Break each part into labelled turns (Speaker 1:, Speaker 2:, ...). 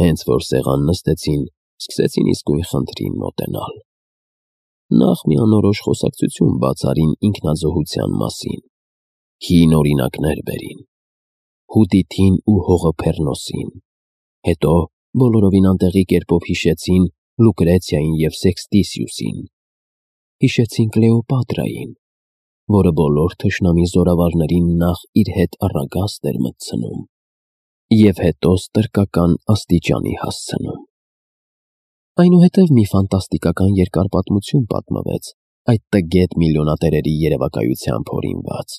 Speaker 1: Հենց որ սեղան նստեցին, սկսեցին իսկույն խնդրին մոտենալ։ Նախ մի անորոշ խոսակցություն բաց արին ինքնազոհության մասին։ Հին օրինակներ բերին Հուդիթին ու Հողոփեռնոսին, հետո բոլորովին անտեղի կերպով հիշեցին Լուկրեցիային և Սեքստիսիուսին, հիշեցին Կլեոպատրային, որը բոլոր թշնամի զորավարներին նախ իր հետ առագաստ էր մտցնում և հետո ստրկական աստիճանի հասցնում։ Այնուհետև մի ֆանտաստիկական երկար պատմություն պատմվեց այդ տգետ միլիոնատերերի երևակայությամբ հորինված,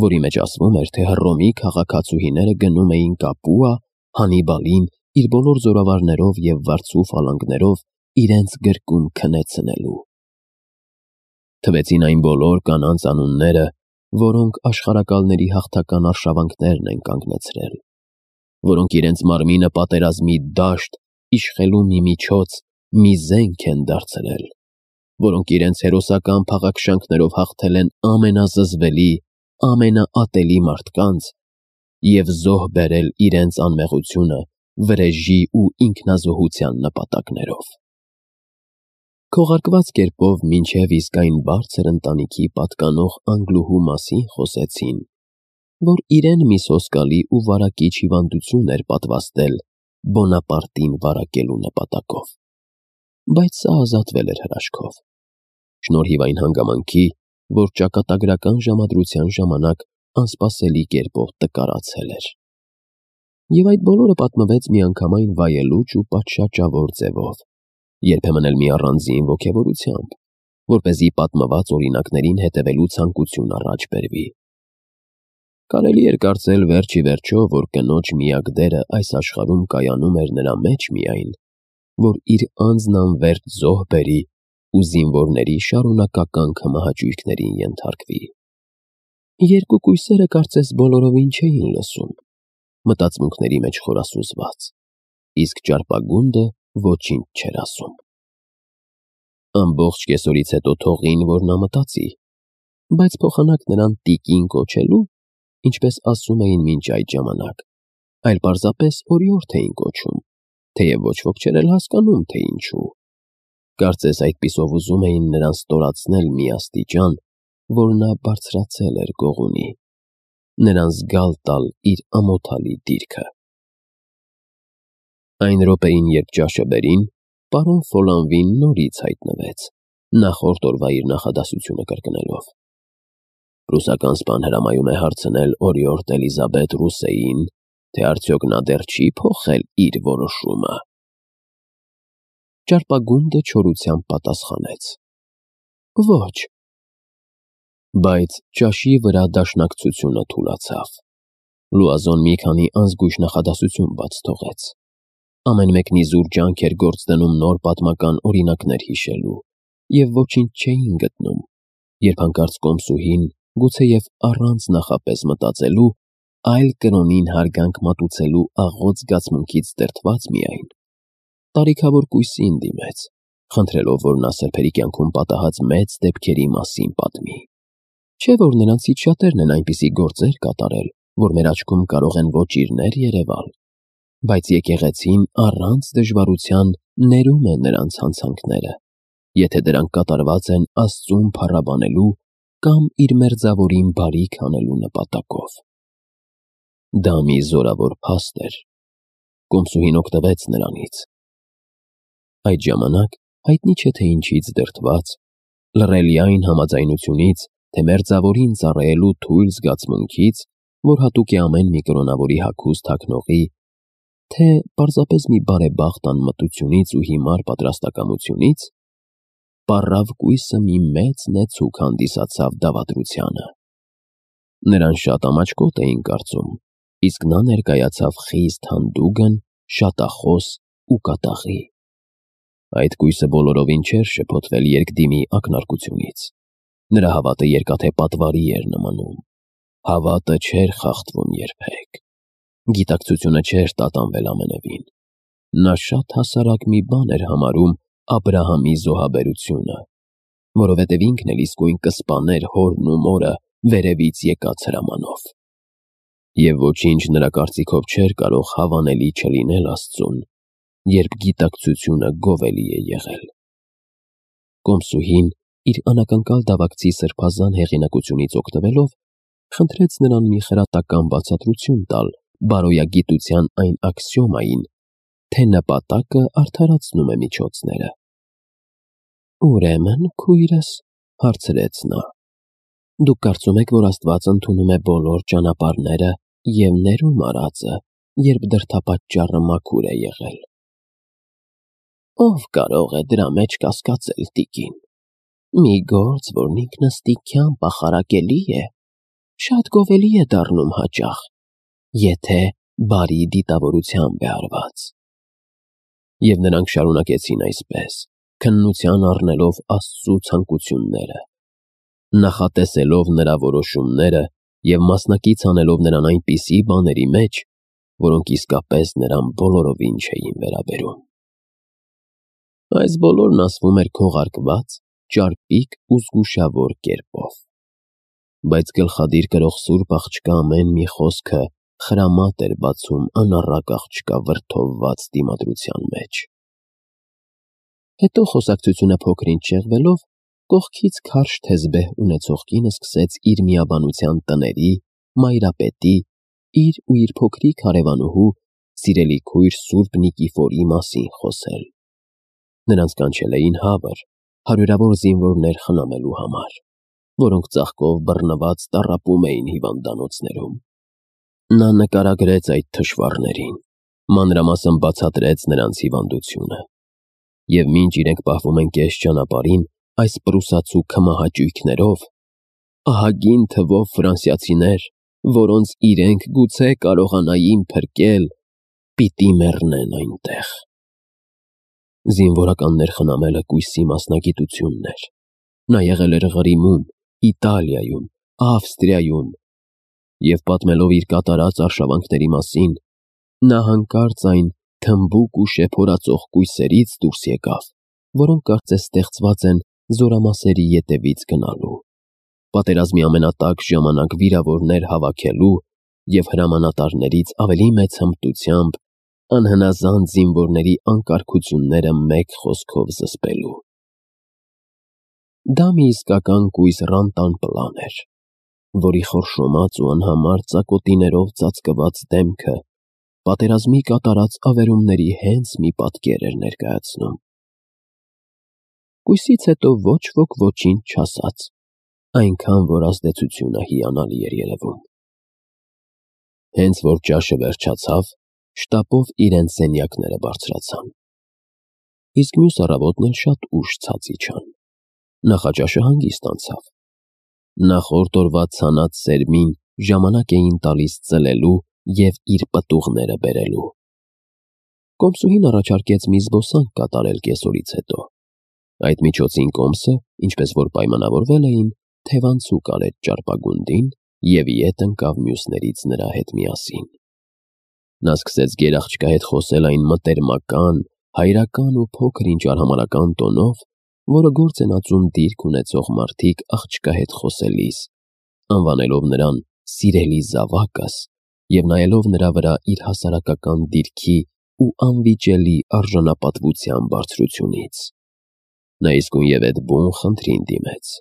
Speaker 1: որի մեջ ասվում էր, թե Հռոմի քաղաքացուհիները գնում էին Կապուա Հանիբալին իր բոլոր զորավարներով և վարձու ֆալանգներով իրենց գրկում քնեցնելու։ Թվեցին այն բոլոր կանանց անունները, որոնք աշխարհակալների հաղթական արշավանքներն են կանգնեցրել, որոնք իրենց մարմինը պատերազմի դաշտ, իշխելու մի միջոց, մի զենք են դարձրել, որոնք իրենց հերոսական փաղաքշանքներով հաղթել են ամենազզվելի, ամենաատելի մարդկանց և զոհ բերել իրենց անմեղությունը վրեժի ու ինքնազոհության նպատակներով։ Քողարկված կերպով մինչև իսկ այն բարձր ընտանիքի պատկանող Անգլուհու մասին խոսեցին, որ իրեն մի սոսկալի ու վարակիչ հիվանդություն էր պատվաստել Բոնապարտին վարակելու նպատակով, բայց սա ազատվել էր հրաշքով, շնորհիվ այն հանգամանքի, որ ճակատագրական ժամադրության ժամանակ անսպասելի կերպով տկարացել էր։ Եվ այդ բոլորը պատմվեց միանգամայն վայելուչ ու պատշաճավոր ձևով, երբեմն էլ մի առանձին ոգևորությամբ, որպեսզի պատմված օրինակներին հետևելու ցանկություն առաջ բերվի։ Կարելի էր կարծել վերջ ի վերջո, որ կնոջ միակ դերը այս աշխարհում կայանում էր նրա մեջ միայն, որ իր անձն անվերջ զոհ բերի ու զինվորների շարունակական քմահաճույքներին ենթարկվի։ Երկու կույսերը կարծես բոլորովին չէին լսում, մտածմունքների մեջ խորասուզված, իսկ ճարպագունդը ոչինչ չէր ասում։ Ամբողջ կեսօրից հետո թողին, որ նա մտածի, բայց փոխանակ նրան տիկին կոչելու, ինչպես ասում էին մինչ այդ ժամանակ, այլ պարզապես օրիորդ էին կոչում, թեև ոչ ոք չէր էլ հասկանում, թե ինչու։ Կարծես այդպիսով ուզում էին նրան ստորացնել մի աստիճան, որ նա բարձրացել էր գողունի, նրան զգալ տալ իր ամոթալի դիրքը։ Այն րոպեին, երբ ճաշը բերին, պարոն Ֆոլանվին նորից հայտնվեց, նախորդ օրվա իր նախադասությունը կրկնելով։ Ռուսական սպան հրամայում է հարցնել օրիորդ Էլիզաբետ Ռուսեին, թե արդյոք նա դեռ չի փոխել իր որոշումը։ Ճարպագունդը չորությամբ պատասխանեց. Ոչ։ Բայց ճաշի վրա դաշնակցությունը թուլացավ։ Լուազոն մի քանի անզգույշ նախադասություն բաց թողեց։ Ամեն մեկն իզուր ջանք էր գործ դնում նոր պատմական օրինակներ հիշելու, և ոչինչ չէին գտնում, երբ հանկարծ կոմսուհին, գուցեև առանց նախապես մտածելու, այլ կրոնին հարգանք մատուցելու աղոտ զգացմունքից դրդված միայն, տարիքավոր կույսին դիմեց, խնդրելով, որ նա սրբերի կյանքում պատահած մեծ դեպքերի մասին պատմի։ Չէ՞ որ նրանցից շատերն են այնպիսի գործեր կատարել, որ մեր աչքում կարող են ոճիրներ երևալ, բայց եկեղեցին առանց դժվարության ներում է նրանց հանցանքները, եթե դրանք կատարված են Աստծուն փառաբանելու կամ իր մերձավորին բարիք անելու նպատակով։ Դա մի զորավոր փաստ էր։ Կոմսուհին օգտվեց նրանից։ Այդ ժամանակ հայտնի չէ թե ինչից դրդված, լռելի այն համաձայնությունից, թե մերձավորին ծառայելու թույլ զգացմունքից, որ հատուկ է ամեն մի կրոնավորի հագուստ հագնողի, թե պարզապես մի բարեբախտ անմտությունից ու հիմար պատրաստակամությունից, պառավ կույսը մի մեծ նեցուկ հանդիսացավ դավադրությանը։ Նրան շատ ամաչկոտ էին կարծում, իսկ նա ներկայացավ խիստ հանդուգն, շատախոս ու կատաղի։ Այդ կույսը բոլորովին չէր շփոթվել երկդիմի ակնարկությունից։ Նրա հավատը երկաթե պատվարի էր նմանում։ Հավատը չէր խախտվում երբեք։ Գիտակցությունը չէր տատանվել ամենևին։ Նա շատ հասարակ մի բան էր համարում Աբրահամի զոհաբերությունը, որովհետև ինքն էլ իսկույն կսպաներ հորն ու մորը վերևից եկած հրամանով։ Եվ ոչինչ նրա կարծիքով չէր կարող հավանելի չլինել Աստծուն, երբ գիտակցությունը գովելի է եղել։ Կոմսուհին իր անակնկալ դավակցի սրբազան հեղինակությունից օգտվելով խնդրեց նրան մի խրատական բացատրություն տալ բարոյագիտության այն աքսիոմային, թե նպատակը արդարացնում է միջոցները։ «Ուրեմն, քույրս», հարցրեց նա, «դուք կարծում եք, որ Աստված ընդունում է բոլոր ճանապարհները և ներում արածը, երբ դրդապատճառը մաքուր է եղել»։ «Ով կարող է դրա մեջ կասկածել, տիկին։ Մի գործ, որն ինքնըստինքյան պախարակելի է, շատ գովելի է դառնում հաճախ, եթե բարի դիտավորությամբ է արված»։ Եվ նրանք շարունակեցին այսպես, քննության առնելով Աստծու ցանկությունները, նախատեսելով նրա որոշումները և մասնակից անելով նրան այնպիսի բաների մեջ, որոնք իսկապես նրան բոլորովին չէին վերաբերում։ Այս բոլորն ասվում էր քողարկված, ճարպիկ ու զգուշավոր կերպով, բայց գլխադիր կրող սուրբ աղջկա ամեն մի խոսքը խրամատ էր բացում անառակ աղջկա վրդովված դիմադրության մեջ։ Հետո խոսակցությունը փոքր-ինչ շեղվելով, կողքից քարշ թեզբեհ ունեցող կինը սկսեց իր միաբանության տների, մայրապետի, իր ու իր փոքրիկ հարևանուհու, սիրելի քույր Սուրբ Նիկիֆորի մասին խոսել։ Նրանց կանչել էին հավր, հարյուրավոր զինվորներ խնամելու համար, որոնք ծաղկով բռնված տառապում էին հիվանդանոցներում։ Նա նկարագրեց այդ թշվառներին, մանրամասն բացատրեց նրանց հիվանդությունը։ Եվ մինչ իրենք պահվում են կես ճանապարհին այս պրուսացու քմահաճույքներով, ահագին թվով ֆրանսիացիներ, որոնց իրենք գուցե կարողանային փրկել, պիտի մեռնեն այնտեղ։ Զինվորականներ խնամելը կույսի մասնագիտությունն էր։ Նա եղել էր Ղրիմում, Իտալիայում, Ավստրիայում, և պատմելով իր կատարած արշավանքների մասին, նա հանկարծ այն թմբուկ ու շեփորածող կույսերից դուրս եկավ, որոնք կարծես ստեղծված են զորամասերի ետևից գնալու, պատերազմի ամենատաք ժամանակ վիրավորներ հավաքելու և հրամանատարներից ավելի մեծ հմտությամբ անհնազանդ զինվորների անկարգությունները մեկ խոսքով զսպելու։ Դա մի իսկական կույս Ռանտան պլան էր, որի խորշոմած ու անհամար ծակոտիներով ծածկված դեմքը պատերազմի կատարած ավերումների հենց մի պատկեր էր ներկայացնում։ Կույսից հետո ոչ ոք ոչինչ չասաց, այնքան որ ազդեցությունը հիանալի էր երևում։ Հենց որ ճաշը վերջացավ, շտապով իրենց սենյակները բարձրացան։ Իսկ մյուս առավոտն էլ շատ ուշ ցած իջան։ Նախաճաշը հանգիստ անցավ։ Նախորդ օրվա ցանած սերմին ժամանակ էին տալիս ծլելու և իր պտուղները բերելու։ Կոմսուհին առաջարկեց մի զբոսանք կատարել կեսօրից հետո։ Այդ միջոցին կոմսը, ինչպես որ պայմանավորվել էին, թևանցուկ արեց ճարպագունդին և ետ ընկավ մյուսներից նրա հետ միասին։ Նա սկսեց գերաղջկա հետ խոսել այն մտերմական, հայրական ու փոքր-ինչ արհամարհական տոնով, որը գործ են ածում դիրք ունեցող մարդիկ աղջկա հետ խոսելիս, անվանելով նրան «սիրելի զավակս» և նայելով նրա վրա իր հասարակական դիրքի ու անվիճելի արժանապատվության բարձրությունից։ Նա իսկույնևեթ այդ բուն խնդրին դիմեց.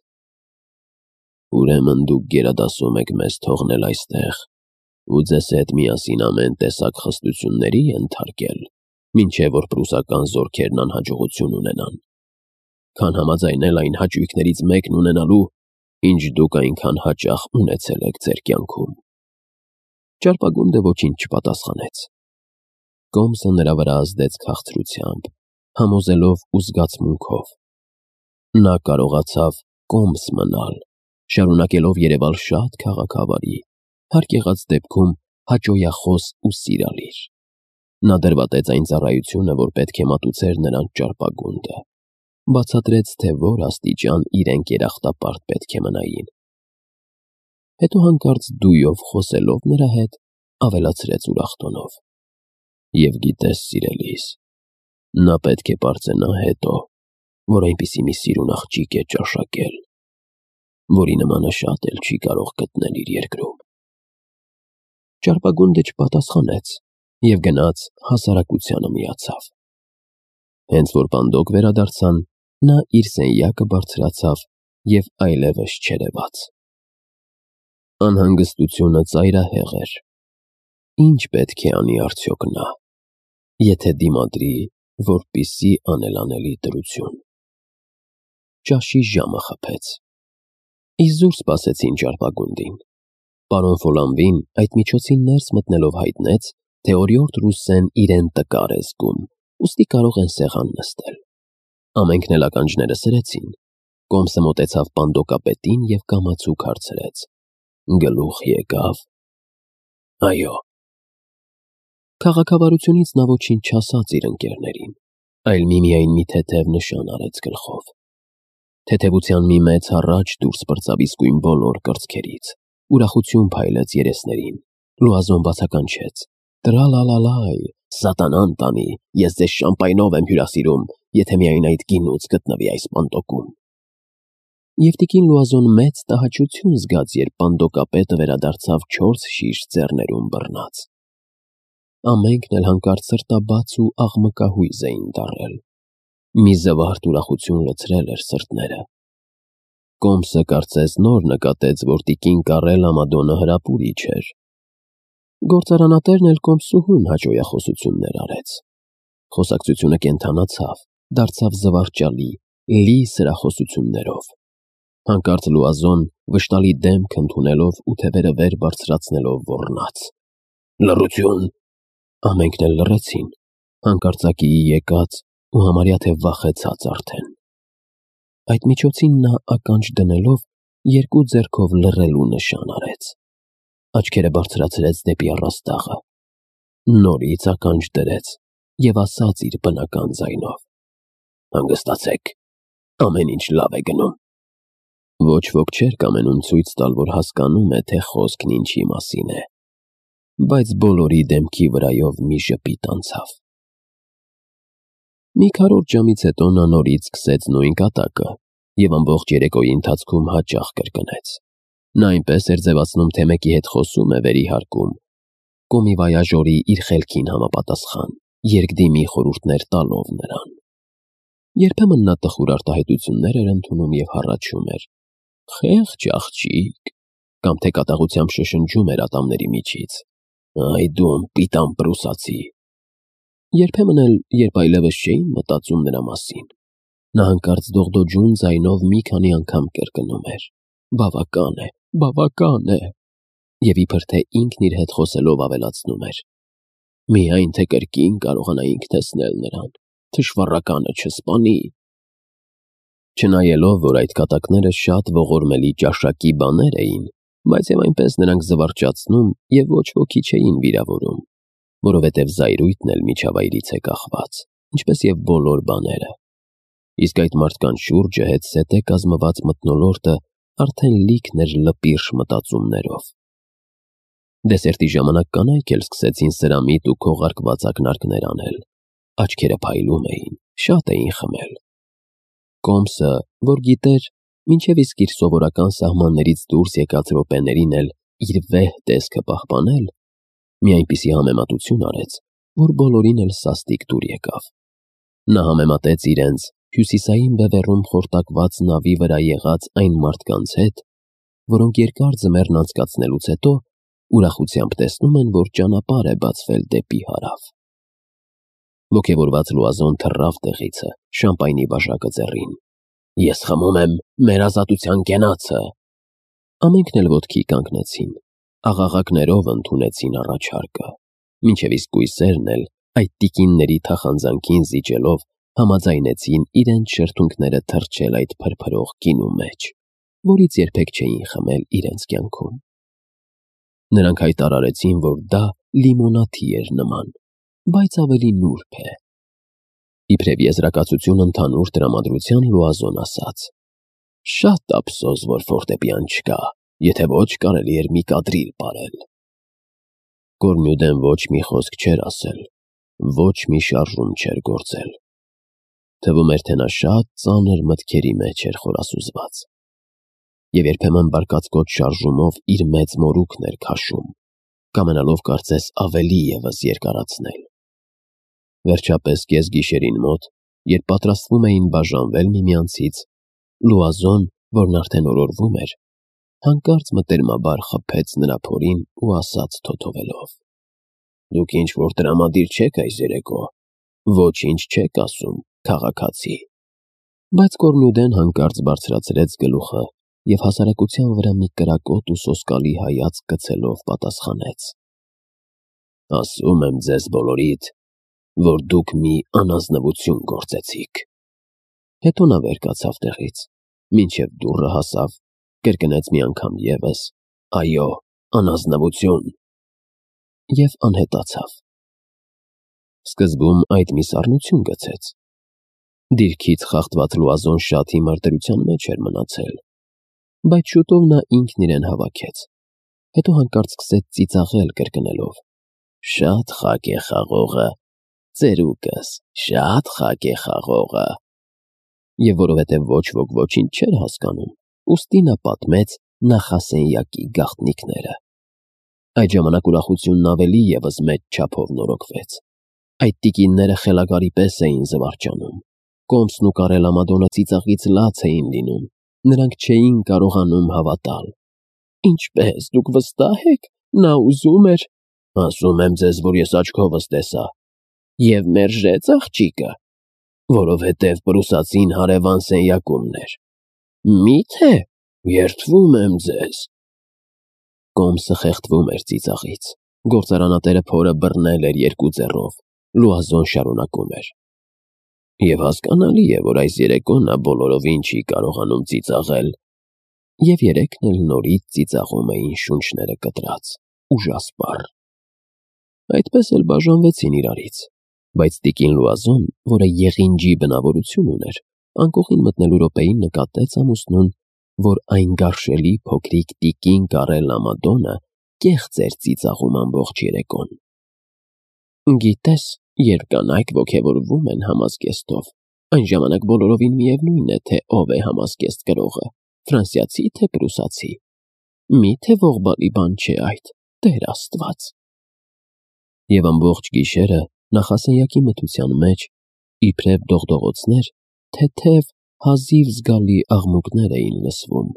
Speaker 1: «Ուրեմն դուք գերադասում եք մեզ թողնել այստեղ ու ձեզ հետ միասին ամեն տեսակ խստությունների ենթարկել, մինչև որ պրուսական զորքերն անհաջողություն ունենան, քան համաձայնել այն հաճույքներից մեկն ունենալու, ինչ դուք այնքան հաճախ ունեցել եք ձեր կյանքում»։ Ճարպագունդը ոչինչ չպատասխանեց։ Կոմսը նրա վրա ազդեց քաղցրությամբ, համոզելով ու զգացմունքով։ Նա կարողացավ կոմս մնալ, շարունակելով երևալ շատ քաղաքավարի, հարկ եղած դեպքում հաճոյախոս ու սիրալիր։ Նա դրվատեց այն ծառայությունը, որ պետք է մատուցեր նրանց ճարպագունդը, բացատրեց, թե որ աստիճան իրենք երախտապարտ պետք է մնային։ Հետո հանկարծ դույով խոսելով նրա հետ, ավելացրեց ուրախ տոնով. «Եվ գիտես, սիրելիս, նա պետք է պարծենա հետո, որ այնպիսի մի սիրուն աղջիկ է ճաշակել, որի նմանը շատ էլ չի կարող գտնել իր երկրում»։ Ճարպագունդը չպատասխանեց և գնաց հասարակությանը միացավ։ Հենց որ բանդոկ վերադարձան, նա իր սենյակը բարձրացավ և այլևս չերևաց։ Անհանգստությունը ծայրահեղ էր։ Ինչ պետք է անի արդյոք նա, եթե դիմադրի, որպեսզի անելանելի դրություն։ Ճաշի ժամը խփեց։ Իզուր սպասեցին ճարպագունդին։ Պարոն Ֆոլանվին այդ միջոցին ներս մտնելով հայտնեց, թե օրիորդ Ռուսսեն իրեն տկար է զգում, ուստի կարող են սեղան նստել։ Ամենքն էլ ականջները սրեցին։ Կոմսը մոտեցավ պանդոկապետին և կամացուկ հարցրեց. Գլուխ եկավ։ Այո։ Քաղաքավարությունից նա ոչինչ չասաց իր ընկերներին, այլ միմիայն մի թեթև նշան արեց գլխով։ Թեթևության մի մեծ հառաչ դուրս պրծավ իսկույն բոլոր կրծքերից, ուրախություն փայլեց երեսներին, Լուազոն բացականչեց. Տրալալալայ, սատանան տանի, ես ձեզ շամպայնով եմ հյուրասիրում, եթե միայն այդ գինուց գտնվի այս պանդոկում։ Եվ տիկին Լուազոն մեծ տհաճություն զգաց, երբ պանդոկապետը վերադարձավ 4 շիշ ձեռներում բռնած։ Ամենքն էլ հանկարծ սրտաբաց ու աղմկահույզ էին դառել։ Մի զվարթ ուրախություն լցրել էր սրտները։ Կոմսը կարծես նոր նկատեց, որ տիկին Կարել Ամադոնը հրապուրիչ էր։ Գործարանատերն էլ կոմսուհուն հաճոյախոսություններ արեց։ Խոսակցությունը կենթանացավ, դարձավ զվարճալի, լի սրախոսություններով։ Հանկարծ Լուազոն վշտալի դեմք ընդունելով ու թևերը վեր բարձրացնելով ոռնաց. Լռություն։ Ամենքն էլ լռեցին, հանկարծակիի եկած ու համարյա թե վախեցած արդեն։ Այդ միջոցին նա ականջ դնելով երկու ձեռքով լռելու նշան արեց։ Աչքերը բարձրացրեց դեպի առաստաղը, նորից ականջ դրեց և ասաց իր բնական ձայնով. Հանգստացեք, ամեն ինչ լավ է գնում։ Ոչ ոք չէր կամենում ցույց տալ, որ հասկանում է, թե խոսքն ինչի մասին է, բայց բոլորի դեմքի վրայով մի ժպիտ անցավ։ Մի քառորդ ժամից հետո նա նորից սկսեց նույն կատակը և ամբողջ երեկոյի ընթացքում հաճախ կրկնեց։ Նա այնպես էր ձևացնում, թե մեկի հետ խոսում է վերիհարկում, կոմիվայաժորի իր խելքին համապատասխան, երկդիմի խորհուրդներ տալով նրան։ Երբեմն նա տխուր արտահայտություններ էր ընդունում և հառաչում էր. Խեղճ աղջիկ, կամ թե կատաղությամբ շշնջում էր ատամների միջից. Այ դու անպիտան պրուսացի։ Երբեմն էլ, երբ այլևս չէին մտածում նրա մասին, նա հանկարծ դողդոջուն ձայնով մի քանի անգամ կրկնում էր. Բավական է, բավական է, և իբր թե ինքն իր հետ խոսելով ավելացնում էր. Միայն թե կրկին կարողանայինք տեսնել նրան, թշվառականը չսպանի։ Չնայելով, որ այդ կատակները շատ ողորմելի ճաշակի բաներ էին, բայց և այնպես նրանք զվարճացնում և ոչ ոքի չէին վիրավորում, որովհետև զայրույթն էլ միջավայրից է կախված, ինչպես և բոլոր բաները։ Իսկ այդ մարդկանց շուրջը հետզհետե կազմված մթնոլորտը արդեն լիքն էր լպիրշ մտածումներով։ Դեսերտի ժամանակ կանայք էլ սկսեցին սրամիտ ու քողարկված ակնարկներ անել, աչքերը փայլում էին, շատ էին խմել։ Կոմսը, որ գիտեր, մինչև իսկ իր սովորական սահմաններից դուրս եկած րոպեներին էլ իր վեհ տեսքը պահպանել, մի այնպիսի համեմատություն արեց, որ բոլորին էլ սաստիկ դուր եկավ։ Նա համեմատեց իրենց հյուսիսային բևեռում խորտակված նավի վրա եղած այն մարդկանց հետ, որոնք երկար ձմեռն անցկացնելուց հետո ուրախությամբ տեսնում են, որ ճանապարհ է բացվել դեպի հարավ։ Ոգևորված Լուազոն թռավ տեղիցը, շամպայնի բաժակը ձեռին։ Ես խմում եմ մեր ազատության կենացը։ Ամենքն էլ ոտքի կանգնեցին, աղաղակներով ընդունեցին առաջարկը, մինչև իսկ կույսերն էլ այդ տիկինների թախանձանքին զիջելով համաձայնեցին իրենց շրթունքները թռչել այդ փրփրող գինու մեջ, որից երբեք չէին խմել իրենց կյանքում։ Նրանք հայտարարեցին, որ դա լիմոնադի էր նման, բայց ավելի նուրբ է։ Իբրև եզրակացություն ընդհանուր տրամադրության Լուազոն ասաց. Շատ ափսոս, որ ֆորտեպիան չկա, եթե ոչ կարելի էր մի կադրիլ պարել։ Կորնյուդեն ոչ մի խոսք չէր ասել, ոչ մի շարժում չէր գործել։ Թվում էր, թե նա շատ ծանր մտքերի մեջ էր խորասուզված։ Եվ երբեմն բարկացկոտ շարժումով իր մեծ մորուքն էր քաշում, կամենալով կարծես ավելի ևս երկարացնել։ Վերջապես կեսգիշերին մոտ երբ պատրաստվում էին բաժանվել միմյանցից, Լուազոն, որն արդեն օրորվում էր, հանկարծ մտերմաբար խփեց նրա փորին ու ասաց թոթովելով. «Դուք ինչ-որ տրամադիր չեք այս երեկո, ոչինչ չեք ասում, քաղաքացի»։ Բայց Կորնուդեն հանկարծ բարձրացրեց գլուխը և հասարակության վրա մի կրակոտ ու սոսկալի հայացք գցելով պատասխանեց. «Ասում եմ ձեզ բոլորիդ, որ դուք մի անազնվություն գործեցիք»։ Հետո նա վեր կացավ տեղից, մինչև դուռը հասավ, կրկնեց մի անգամ ևս. «Այո, անազնվություն» և անհետացավ։ Սկզբում այդ մի սառնություն գցեց։ Դիրքից խախտված Լուազոն շատ հիմար դրության մեջ էր մնացել, բայց շուտով նա ինքն իրեն հավաքեց, հետո հանկարծ սկսեց ծիծաղել կրկնելով. «Շատ խաք է խաղողը, ծերուկս, շատ խաք է խաղողը»։ Եվ որովհետև ոչ ոք ոչինչ չէր հասկանում, ուստի նա պատմեց նախասենյակի գաղտնիքները։ Այդ ժամանակ ուրախությունն ավելի ևս մեծ չափով նորոգվեց։ Այդ տիկինները խելագարի պես էին զվարճանում։ Կոմսն ու Կարելամադոնը ծիծաղից լաց էին լինում, նրանք չէին կարողանում հավատալ։ «Ինչպե՞ս, դուք վստահ եք, նա ուզում էր»։ «Ասում եմ ձեզ, որ ես աչքովս տեսա»։ «Եվ մերժեց աղջիկը»։ «Որովհետև պրուսացին հարևան սենյակումն էր»։ «Մի՞թե»։ «Երդվում եմ ձեզ»։ Կոմսը խեղդվում էր ծիծաղից։ Գործարանատերը փորը բռնել էր երկու ձեռով։ Լուազոն շարունակում էր. «Եվ հասկանալի է, որ այս երեկո նա բոլորովին չի կարողանում ծիծաղել»։ Եվ երեքն էլ նորից ծիծաղում էին շունչները կտրած, ուժասպառ։ Այդպես էլ բաժանվեցին իրարից, բայց տիկին Լուազոն, որը եղինջի բնավորություն ուներ, անկողին մտնելու րոպեին նկատեց ամուսնուն, որ այն գարշելի փոքրիկ տիկին Կարելամադոնը կեղծ էր ծիծաղում ամբողջ երեկոն։ «Գիտես, երբ կանայք ոգևորվում են համազգեստով, այն ժամանակ բոլորովին միևնույն է, թե ով է համազգեստ կրողը, ֆրանսիացի թե պրուսացի։ Մի՞թե ողբալի բան չէ այդ, Տեր Աստված»։ Եվ ամբողջ գիշերը նախասենյակի մթության մեջ, իբրև դողդողոցներ, թեթև, հազիվ զգալի աղմուկներ էին լսվում,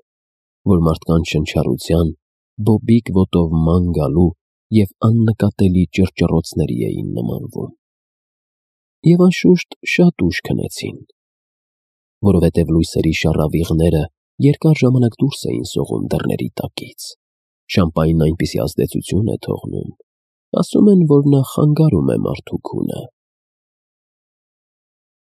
Speaker 1: որ մարդկանց շնչառության, բոբիկ ոտով ման գալու և աննկատելի ճռճռոցների էին նմանվում։ Եվ անշուշտ շատ ուշ քնեցին, որովհետև լույսերի շառավիղները երկար ժամանակ դուրս էին սողում դռների տակից։ Շամպայնն այնպիսի ազդեցություն է թողնում, ասում են, որ նա խանգարում է մարդու քունը։